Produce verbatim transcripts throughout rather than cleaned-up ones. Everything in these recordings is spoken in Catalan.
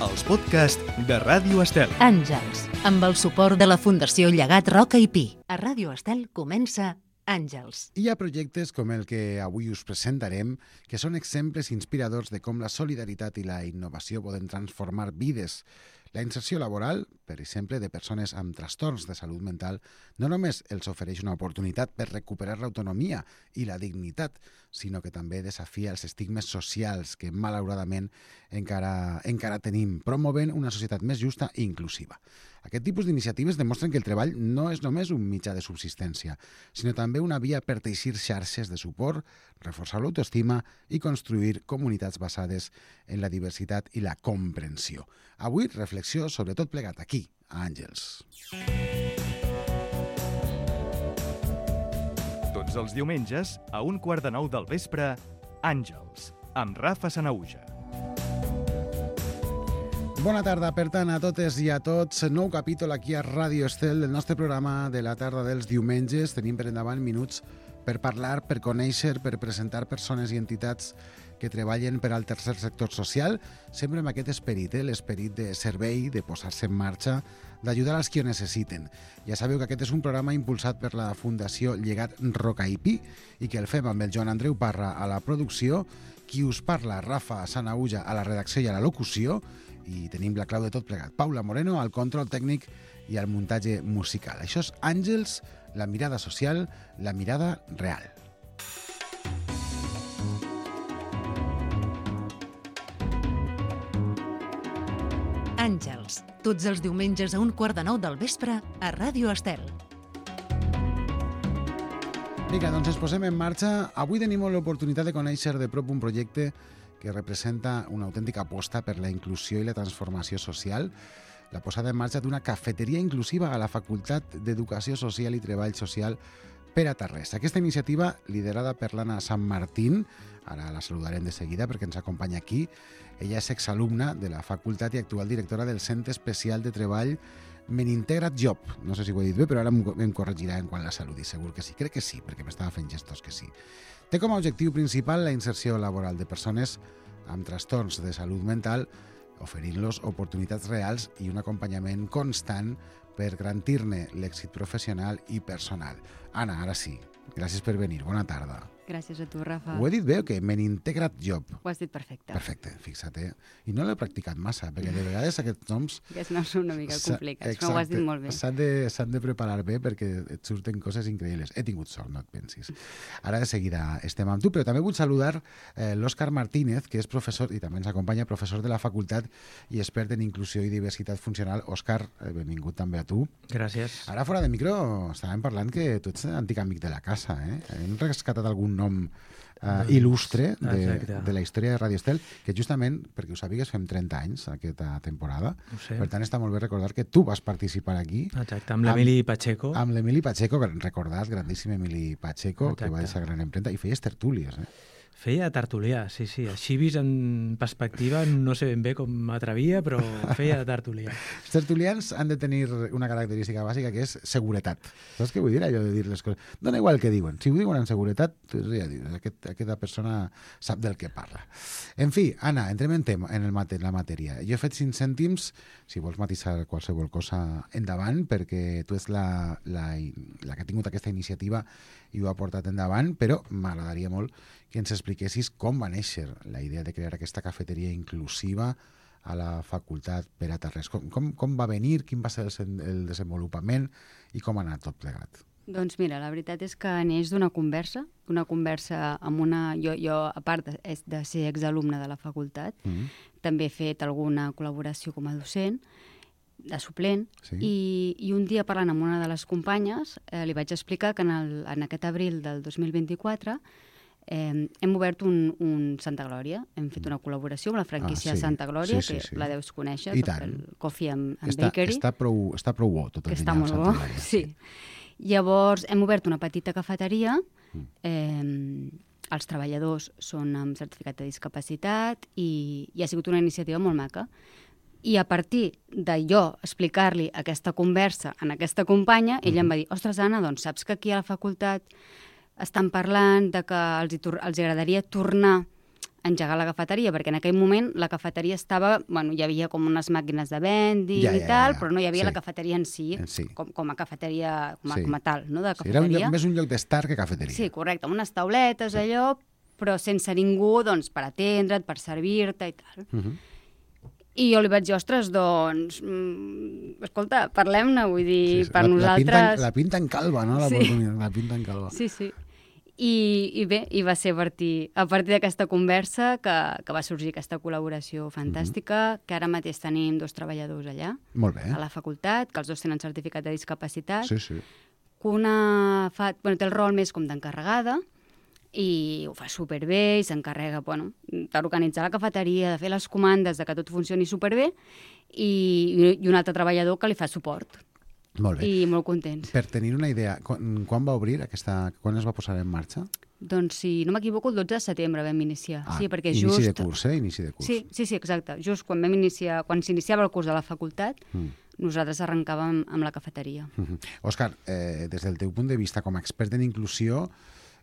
els podcasts de Ràdio Estel. Àngels, amb el suport de la Fundació Llegat Roca i Pi. A Ràdio Estel comença Àngels. Hi ha projectes com el que avui us presentarem que són exemples inspiradors de com la solidaritat i la innovació poden transformar vides. La inserció laboral, per exemple, de persones amb trastorns de salut mental, no només els ofereix una oportunitat per recuperar l'autonomia i la dignitat, sinó que també desafia els estigmes socials que, malauradament, encara, encara tenim, promovent una societat més justa i inclusiva. Aquest tipus d'iniciatives demostren que el treball no és només un mitjà de subsistència, sinó també una via per teixir xarxes de suport, reforçar l'autoestima i construir comunitats basades en la diversitat i la comprensió. Avui, reflexió sobre tot plegat aquí, a Àngels. Tots els diumenges, a un quart de nou del vespre, Àngels, amb Rafa Sanahuja. Bona tarda, per tant, a totes i a tots. Nou capítol aquí a Ràdio Estel del nostre programa de la tarda dels diumenges. Tenim per endavant minuts per parlar, per conèixer, per presentar persones i entitats que treballen per al tercer sector social, sempre amb aquest esperit, eh? l'esperit de servei, de posar-se en marxa, d'ajudar als qui ho necessiten. Ja sabeu que aquest és un programa impulsat per la Fundació Llegat Roca i Pi i que el fem amb el Joan Andreu Parra a la producció, qui us parla, Rafa Sanahuja, a la redacció i a la locució, i tenim la clau de tot plegat, Paula Moreno, al control tècnic i al muntatge musical. Això és Àngels, la mirada social, la mirada real. Àngels, tots els diumenges a un quart de nou del vespre a Ràdio Estel. Vinga, doncs ens posem en marxa. Avui tenim l'oportunitat de conèixer de prop un projecte que representa una autèntica aposta per la inclusió i la transformació social, la posada en marxa d'una cafeteria inclusiva a la Facultat d'Educació Social i Treball Social Pere Tarrés. Aquesta iniciativa, liderada per l'Anna Sant Martín, ara la saludarem de seguida perquè ens acompanya aquí, ella és exalumna de la facultat i actual directora del Centre Especial de Treball Menintegrat Job. No sé si ho he dit bé, però ara em corregirà en quan la saludi, segur que sí. Crec que sí, perquè m'estava fent gestos que sí. Té com a objectiu principal la inserció laboral de persones amb trastorns de salut mental, oferint-los oportunitats reals i un acompanyament constant per garantir-ne l'èxit professional i personal. Anna, ara sí, gràcies per venir. Bona tarda. Gràcies a tu, Rafa. Ho he dit bé o què? Menintegrat Job. Ho has dit perfecte. Perfecte, fixa't, eh? I no l'he practicat massa, perquè de vegades aquests noms... Aquests noms són una mica complicats, exacte, però ho has dit molt bé. S'han de, s'han de preparar bé perquè et surten coses increïbles. He tingut sort, no et pensis. Ara de seguida estem amb tu, però també vull saludar eh, l'Òscar Martínez, que és professor, i també ens acompanya, professor de la facultat i expert en inclusió i diversitat funcional. Òscar, eh, benvingut també a tu. Gràcies. Ara, fora de micro, estàvem parlant que tu ets antic amic de la casa, eh? Hem rescatat algun nom uh, il·lustre de, de la història de Ràdio Estel, que justament, perquè ho sàpigues, fem trenta anys aquesta temporada. Per tant, està molt bé recordar que tu vas participar aquí. Exacte, amb l'Emili Pacheco. Amb l'Emili Pacheco, que recordàs, grandíssim Emili Pacheco, exacte, que va deixar gran empremta, i feies tertúlies, eh? Feia tertulià, sí, sí. Així vist en perspectiva, no sé ben bé com m'atrevia, però feia tertulià. Els tertulians han de tenir una característica bàsica que és seguretat. Saps què vull dir, allò de dir les coses? Dona igual que diuen. Si ho diuen amb seguretat, ja dius, aquest, aquesta persona sap del que parla. En fi, Anna, entrem en, tema, en, el mate, en la matèria. Jo he fet cinc cèntims, si vols matisar qualsevol cosa endavant, perquè tu ets la, la, la que ha tingut aquesta iniciativa i ho ha portat endavant, però m'agradaria molt que ens expliquessis com va néixer la idea de crear aquesta cafeteria inclusiva a la facultat Pere Tarrés. Com, com, com va venir, quin va ser el, el desenvolupament i com ha anat tot plegat? Doncs mira, la veritat és que neix d'una conversa, una conversa amb una... Jo, jo a part de, de ser exalumne de la facultat, mm-hmm. també he fet alguna col·laboració com a docent, de suplent, sí. i, i un dia parlant amb una de les companyes eh, li vaig explicar que en, el, en aquest abril del dos mil vint-i-quatre eh, hem obert un, un Santa Glòria, hem fet una col·laboració amb la franquícia ah, sí. Santa Glòria, sí, sí, sí. que la deus conèixer, I tot tant. el Coffee and, and està, Bakery. Està prou, està prou bo tot el que està molt Santa bo, Glòria. Sí. Llavors hem obert una petita cafeteria, eh, els treballadors són amb certificat de discapacitat i, i ha sigut una iniciativa molt maca. I a partir de jo explicar-li aquesta conversa a aquesta companya, ella em va dir, ostres, Anna, doncs saps que aquí a la facultat estan parlant de que els, els agradaria tornar engegar la cafeteria, perquè en aquell moment la cafeteria estava... Bueno, hi havia com unes màquines de vending Ja, i ja, tal, ja. però no hi havia Sí. la cafeteria en si, En si. Com, com a cafeteria, com a, Sí. com a tal, no? De Sí, era un cafeteria. lloc, més un lloc d'estar que cafeteria. Sí, correcte, amb unes tauletes, allò, però sense ningú doncs, per atendre't, per servir-te i tal. Uh -huh. I jo li vaig dir, ostres, doncs, mm, escolta, parlem-ne, vull dir, Sí, per la, nosaltres... La pinta, la pinta en calva, no? La, Sí. la pinta en calva. Sí, sí. I, i bé, i va ser a partir, a partir d'aquesta conversa que, que va sorgir aquesta col·laboració fantàstica, mm-hmm. que ara mateix tenim dos treballadors allà, Molt bé. a la facultat, que els dos tenen certificat de discapacitat, Sí, sí. que una fa, bueno, té el rol més com d'encarregada, i ho fa superbé, i s'encarrega bueno, d'organitzar la cafeteria, de fer les comandes, de que tot funcioni superbé, i, i un altre treballador que li fa suport. Molt bé. I molt contents. Per tenir una idea, quan, quan va obrir aquesta... Quan es va posar en marxa? Doncs, si no m'equivoco, el dotze de setembre vam iniciar. Ah, sí, perquè inici just... de curs, eh? Inici de curs. Sí, sí, sí, exacte. Just quan vam iniciar, quan s'iniciava el curs de la facultat, mm. nosaltres arrencàvem amb la cafeteria. Mm -hmm. Òscar, eh, des del teu punt de vista com a expert en inclusió,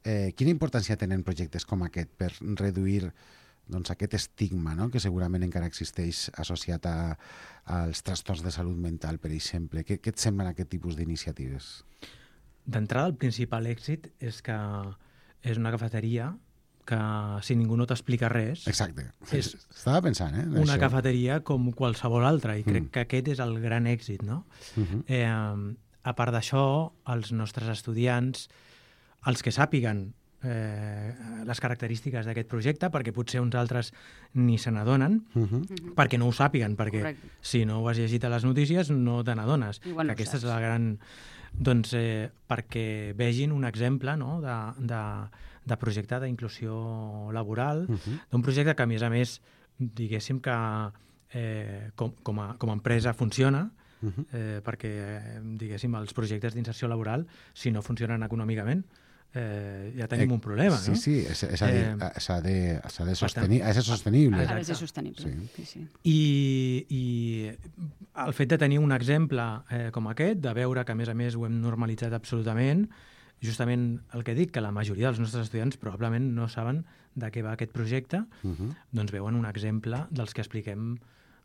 eh, quina importància tenen projectes com aquest per reduir doncs, aquest estigma, no?, que segurament encara existeix associat a, als trastorns de salut mental, per exemple? Què, què et semblen aquest tipus d'iniciatives? D'entrada, el principal èxit és que és una cafeteria que, si ningú no t'explica res... Exacte. És Estava pensant, eh? una això. cafeteria com qualsevol altra, i crec Mm. que aquest és el gran èxit, no? Uh -huh. eh, a part d'això, els nostres estudiants, els que sàpiguen eh, les característiques d'aquest projecte, perquè potser uns altres ni se n'adonen, Uh -huh. perquè no ho sàpiguen, perquè Correcte. si no ho has llegit a les notícies no te n'adones. Igual no Que aquesta és saps. la gran... Doncs eh, perquè vegin un exemple, no?, de, de, de projecte d'inclusió laboral, Uh -huh. d'un projecte que, a més a més, diguéssim que eh, com, com, a, com a empresa funciona, Uh -huh. eh, perquè, eh, diguéssim, els projectes d'inserció laboral, si no funcionen econòmicament, eh, ja tenim Eh, un problema, sí, no? Sí, sí, s'ha de, Eh, s'ha de, s'ha de, per sostenir, tant, ha de ser sostenible. Ha de ser Exacte. sostenible. Sí. Sí, sí. I, I el fet de tenir un exemple eh, com aquest, de veure que, a més a més, ho hem normalitzat absolutament, justament el que dic, que la majoria dels nostres estudiants probablement no saben de què va aquest projecte, Uh -huh. doncs veuen un exemple dels que expliquem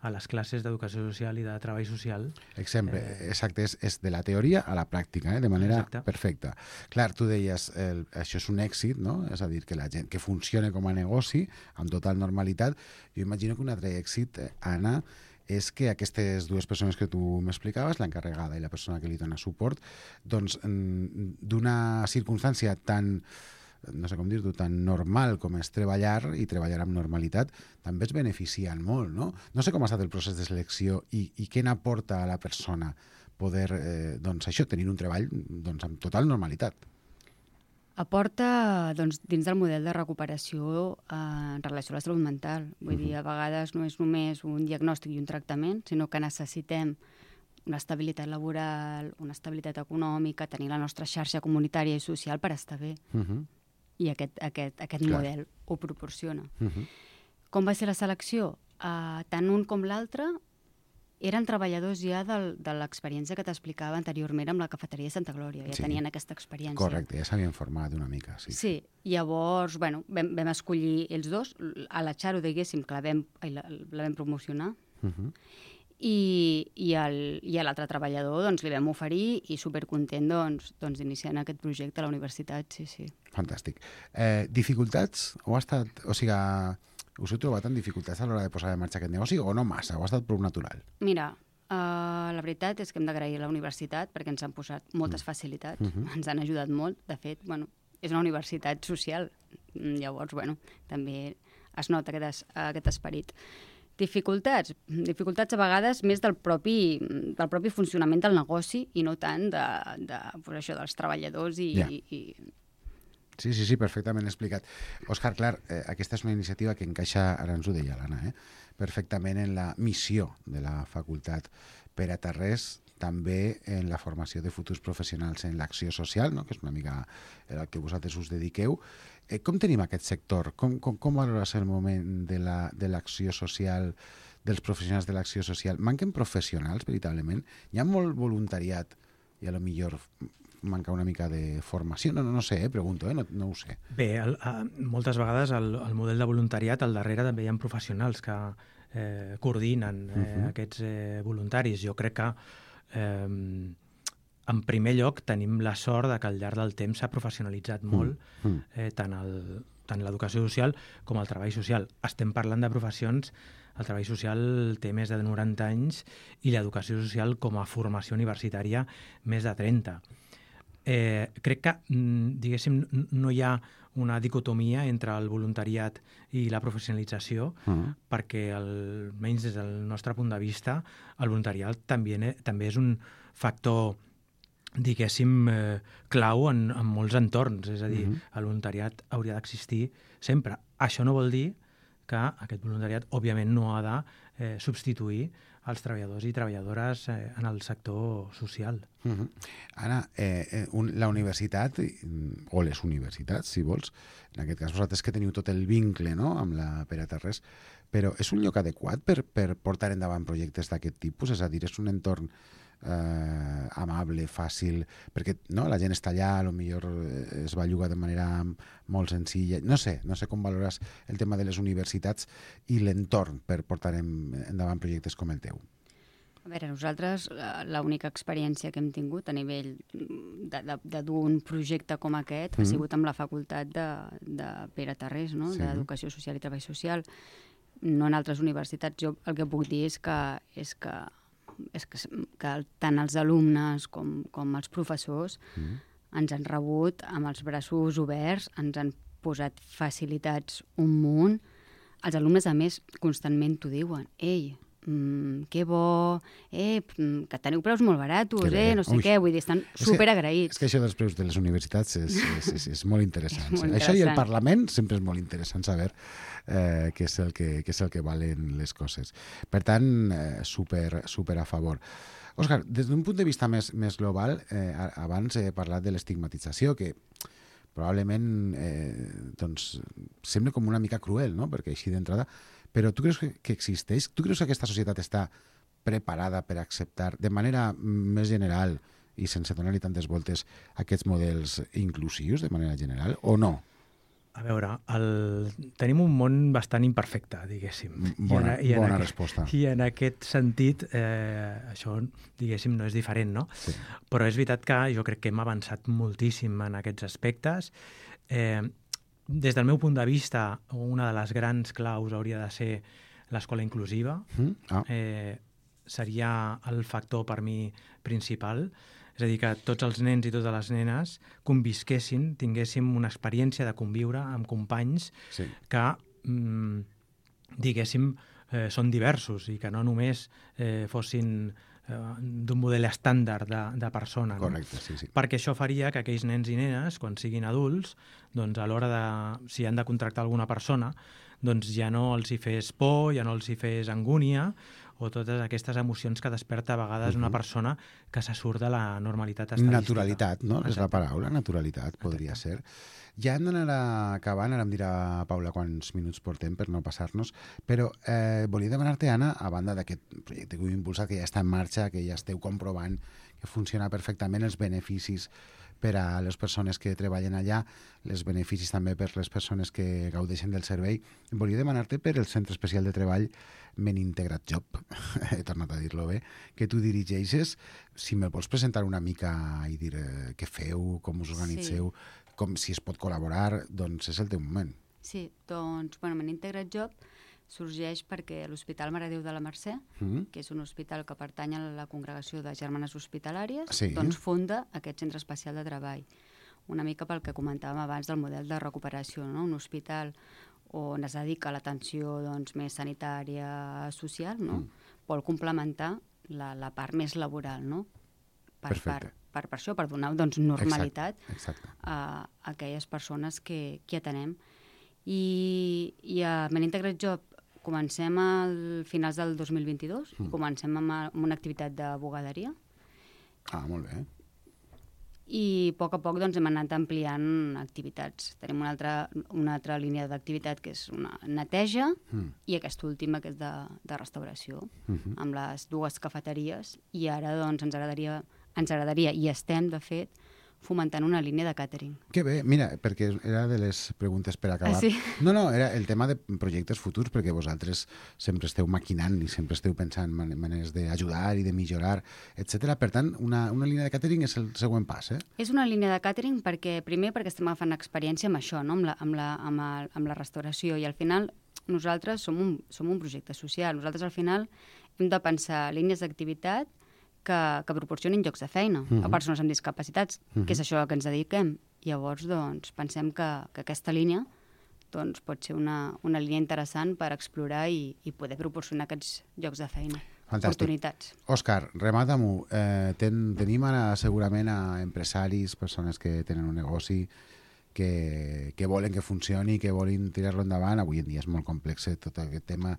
a les classes d'educació social i de treball social. Exemple, eh... exacte, és, és de la teoria a la pràctica, eh? De manera Exacte. perfecta. Clar, tu deies, el, això és un èxit, no? És a dir, que la gent que funcione com a negoci, amb total normalitat. Jo imagino que un altre èxit, eh, Anna, és que aquestes dues persones que tu m'explicaves, l'encarregada i la persona que li dona suport, doncs d'una circumstància tan, no sé com dir-ho, tan normal com és treballar i treballar amb normalitat, també es beneficien molt, no? No sé com ha estat el procés de selecció i, i què n'aporta a la persona poder, eh, doncs això, tenir un treball doncs, amb total normalitat. Aporta, doncs, dins del model de recuperació eh, en relació a la salut mental. Vull dir, a vegades no és només un diagnòstic i un tractament, sinó que necessitem una estabilitat laboral, una estabilitat econòmica, tenir la nostra xarxa comunitària i social per estar bé. Uh -huh. I aquest, aquest, aquest Clar. model ho proporciona. Uh -huh. Com va ser la selecció? Uh, tant un com l'altre eren treballadors ja del, de l'experiència que t'explicava anteriorment amb la cafeteria de Santa Glòria. Ja Sí. tenien aquesta experiència. Correcte, ja s'havien format una mica, sí. Sí, llavors, bueno, vam, vam escollir ells dos, a la Xaro, diguéssim, que la vam, ai, la, la vam promocionar, Uh -huh. i, i, el, i a l'altre treballador doncs, li vam oferir i supercontent doncs, doncs, d'iniciar en aquest projecte a la universitat, sí, sí. Fantàstic. Eh, dificultats? O ha estat, o sigui, us heu trobat en dificultats a l'hora de posar en marxa aquest negoci o no massa? O ha estat prou natural? Mira, uh, la veritat és que hem d'agrair a la universitat perquè ens han posat moltes facilitats, Uh -huh. ens han ajudat molt. De fet, bueno, és una universitat social, llavors, bueno, també es nota aquest, es, aquest esperit. Dificultats? Dificultats a vegades més del propi, del propi funcionament del negoci i no tant de, de pues això, dels treballadors i, Ja. i, i... Sí, sí, sí, perfectament explicat. Òscar, clar, eh, aquesta és una iniciativa que encaixa, ara ens ho deia l'Anna, eh, perfectament en la missió de la facultat per a Tarrés, també en la formació de futurs professionals en l'acció social, no?, que és una mica el que vosaltres us dediqueu. Eh, com tenim aquest sector? Com, com, com valores el moment de la, de l'acció social, dels professionals de l'acció social? Manquen professionals, veritablement? Hi ha molt voluntariat i a lo millor mancar una mica de formació? No, no, no sé, eh, pregunto, eh, no, no ho sé. Bé, el, a, moltes vegades el, el model de voluntariat, al darrere també hi ha professionals que eh, coordinen eh, uh-huh. aquests eh, voluntaris. Jo crec que eh, en primer lloc tenim la sort de que al llarg del temps s'ha professionalitzat molt uh-huh. eh, tant el tant l'educació social com el treball social. Estem parlant de professions, el treball social té més de noranta anys i l'educació social com a formació universitària més de trenta. Eh, crec que, diguéssim, no hi ha una dicotomia entre el voluntariat i la professionalització, uh-huh. perquè, almenys des del nostre punt de vista, el voluntariat també, també és un factor diguéssim, eh, clau en, en molts entorns. És a dir, uh-huh. el voluntariat hauria d'existir sempre. Això no vol dir que aquest voluntariat, òbviament, no ha de eh, substituir els treballadors i treballadores eh, en el sector social. Uh-huh. Anna, eh, un, la universitat, o les universitats, si vols, en aquest cas vosaltres que teniu tot el vincle, no?, amb la Pere Tarrés, però és un lloc adequat per, per portar endavant projectes d'aquest tipus? És a dir, és un entorn Eh, amable, fàcil, perquè no, la gent està allà, potser es belluga de manera molt senzilla. No sé, no sé com valores el tema de les universitats i l'entorn per portar en, endavant projectes com el teu. A veure, nosaltres l'única experiència que hem tingut a nivell de, de, de dur un projecte com aquest mm. ha sigut amb la facultat de, de Pere Tarrés, no? Sí. d'Educació Social i Treball Social. No en altres universitats. Jo el que puc dir és que, és que és que, que tant els alumnes com, com els professors mm. ens han rebut amb els braços oberts, ens han posat facilitats un munt. Els alumnes, a més, constantment t'ho diuen. Ei, mm, que bo, eh, que teniu preus molt baratos, eh, no sé Ui. què, vull dir, estan superagraïts. És que això dels preus de les universitats és, és, és, és molt interessant. és molt interessant. Això i el Parlament sempre és molt interessant saber eh, què, és el que, què és el que valen les coses. Per tant, eh, super, super a favor. Òscar, des d'un punt de vista més, més global, eh, abans he parlat de l'estigmatització, que probablement eh, doncs, sembla com una mica cruel, no?, perquè així d'entrada. Però tu creus que, que existeix? Tu creus que aquesta societat està preparada per acceptar de manera més general i sense donar-li tantes voltes aquests models inclusius de manera general o no? A veure, el... tenim un món bastant imperfecte, diguéssim. Bona, I en, i en bona aquest, resposta. I en aquest sentit, eh, això, diguéssim, no és diferent, no? Sí. Però és veritat que jo crec que hem avançat moltíssim en aquests aspectes. Eh, des del meu punt de vista, una de les grans claus hauria de ser l'escola inclusiva. Mm? Ah. Eh, seria el factor, per mi, principal. És a dir, que tots els nens i totes les nenes convisquessin, tinguéssim una experiència de conviure amb companys sí. que, mm, diguéssim, eh, són diversos i que no només eh, fossin eh, d'un model estàndard de, de persona. Correcte, no? sí, sí. Perquè això faria que aquells nens i nenes, quan siguin adults, doncs a l'hora de, si han de contractar alguna persona, doncs ja no els hi fes por, ja no els hi fes angúnia, o totes aquestes emocions que desperta a vegades uh-huh. una persona que se surt de la normalitat estadística. Naturalitat, no? Exacte. És la paraula, naturalitat, podria Exacte. ser. Ja hem d'anar acabant, ara em dirà Paula quants minuts portem per no passar-nos, però eh, volia demanar-te, Anna, a banda d'aquest projecte que heu impulsat, que ja està en marxa, que ja esteu comprovant que funciona perfectament, els beneficis per a les persones que treballen allà, els beneficis també per les persones que gaudeixen del servei. Volia demanar-te per el Centre Especial de Treball Men Integrat Job, he tornat a dir-lo bé, que tu dirigeixes, si me'l vols presentar una mica i dir eh, què feu, com us organitzeu, sí. com si es pot col·laborar, doncs és el teu moment. Sí, doncs, bueno, Men Integrat Job sorgeix perquè l'Hospital Mare de Déu de la Mercè, mm. que és un hospital que pertany a la Congregació de Germanes Hospitalàries, sí. doncs funda aquest centre especial de treball. Una mica pel que comentàvem abans del model de recuperació, no? Un hospital on es dedica a l'atenció doncs, més sanitària, social, no? Mm. Vol complementar la, la part més laboral, no? Per, per, per, per això, per donar doncs, normalitat exacte, exacte. a, a aquelles persones que, que atenem. I, i a Men Integrat Job comencem a finals del dos mil vint-i-dos mm. i comencem amb, amb una activitat de bugaderia. Ah, molt bé. I a poc a poc doncs, hem anat ampliant activitats. Tenim una altra, una altra línia d'activitat que és una neteja mm. i aquesta última que és de, de restauració, mm-hmm. amb les dues cafeteries. I ara doncs, ens agradaria, ens agradaria, i estem, de fet, fomentant una línia de càtering. Que bé, mira, perquè era de les preguntes per acabar. Ah, sí? No, no, era el tema de projectes futurs, perquè vosaltres sempre esteu maquinant i sempre esteu pensant man maneres d'ajudar i de millorar, etcètera. Per tant, una, una línia de càtering és el següent pas, eh? És una línia de càtering perquè, primer perquè estem agafant experiència amb això, no? amb, la, amb, la, amb, el, amb la restauració, i al final nosaltres som un, som un projecte social. Nosaltres al final hem de pensar línies d'activitat que, que proporcionin llocs de feina uh-huh. a persones amb discapacitats, uh-huh. que és això a què ens dediquem. Llavors, doncs, pensem que, que aquesta línia doncs, pot ser una, una línia interessant per explorar i, i poder proporcionar aquests llocs de feina. Fantàstic. Oportunitats. Òscar, remata-m'ho. Eh, ten, tenim ara segurament a empresaris, persones que tenen un negoci, que, que volen que funcioni, que volen tirar-lo endavant. Avui en dia és molt complex tot aquest tema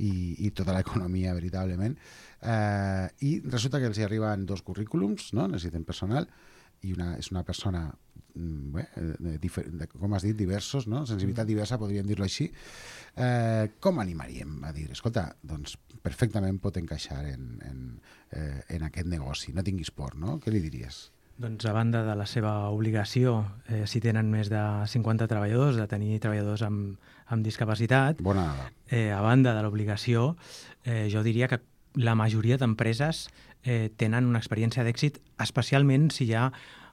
i, i tota l'economia, veritablement. Eh, I resulta que els hi arriben dos currículums, no? Necessiten personal, i una, és una persona, bé, de, de, com has dit, diversos, no? Sensibilitat diversa, podríem dir-lo així. Eh, com animaríem a dir, escolta, doncs perfectament pot encaixar en, en, eh, en aquest negoci, no tinguis por, no? Què li diries? Doncs a banda de la seva obligació, eh, si tenen més de cinquanta treballadors, de tenir treballadors amb, amb discapacitat, Bona dada. Eh, a banda de l'obligació, eh, jo diria que la majoria d'empreses eh, tenen una experiència d'èxit, especialment si hi ha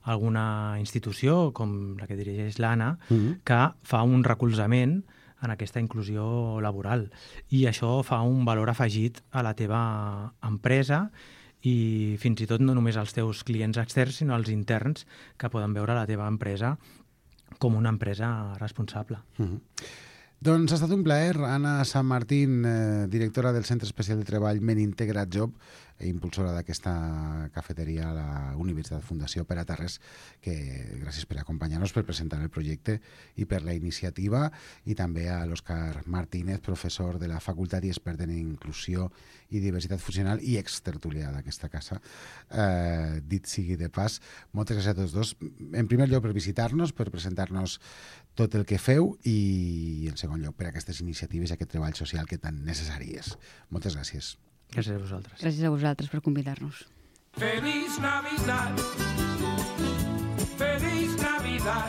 alguna institució, com la que dirigeix l'Anna, mm-hmm. que fa un recolzament en aquesta inclusió laboral. I això fa un valor afegit a la teva empresa i fins i tot no només als teus clients externs, sinó als interns que poden veure la teva empresa com una empresa responsable. Mm-hmm. Doncs ha estat un plaer. Anna San Martín, eh, directora del Centre Especial de Treball Men Integrat Job, impulsora d'aquesta cafeteria a la Universitat Fundació Pere Tarrés, que gràcies per acompanyar-nos, per presentar el projecte i per la iniciativa, i també a l'Òscar Martínez, professor de la Facultat i expert en Inclusió i Diversitat Funcional i extertulià d'aquesta casa. Eh, dit sigui de pas, moltes gràcies a tots dos. En primer lloc, per visitar-nos, per presentar-nos tot el que feu, i en segon lloc per aquestes iniciatives i aquest treball social que tan necessari és. Moltes gràcies. Gràcies a vosaltres. Gràcies a vosaltres per convidar-nos. Feliz Navidad, Feliz Navidad,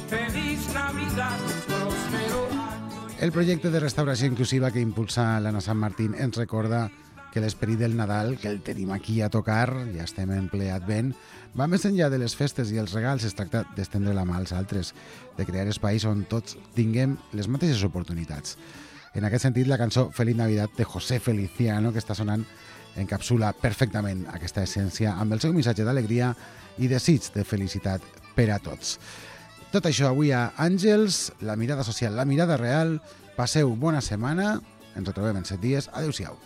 Feliz Navidad, próspero año. El projecte de restauració inclusiva que impulsa l'Anna San Martín ens recorda que l'esperit del Nadal, que el tenim aquí a tocar, ja estem en ple advent, va més enllà de les festes i els regals. Es tracta d'estendre la mà als altres, de crear espais on tots tinguem les mateixes oportunitats. En aquest sentit, la cançó Feliz Navidad de José Feliciano, que està sonant, encapsula perfectament aquesta essència amb el seu missatge d'alegria i desig de felicitat per a tots. Tot això avui a Àngels, la mirada social, la mirada real. Passeu bona setmana, ens retrobem en set dies. Adéu-siau.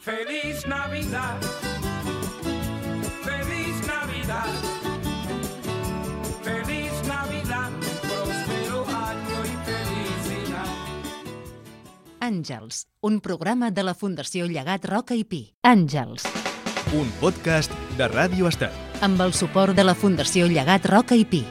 Feliz Navidad, Feliz Navidad, Feliz Navidad, próspero año y felicidad. Àngels, un programa de la Fundació Llegat Roca i Pi. Àngels, Un podcast de Ràdio Estat. amb el suport de la Fundació Llegat Roca i Pi.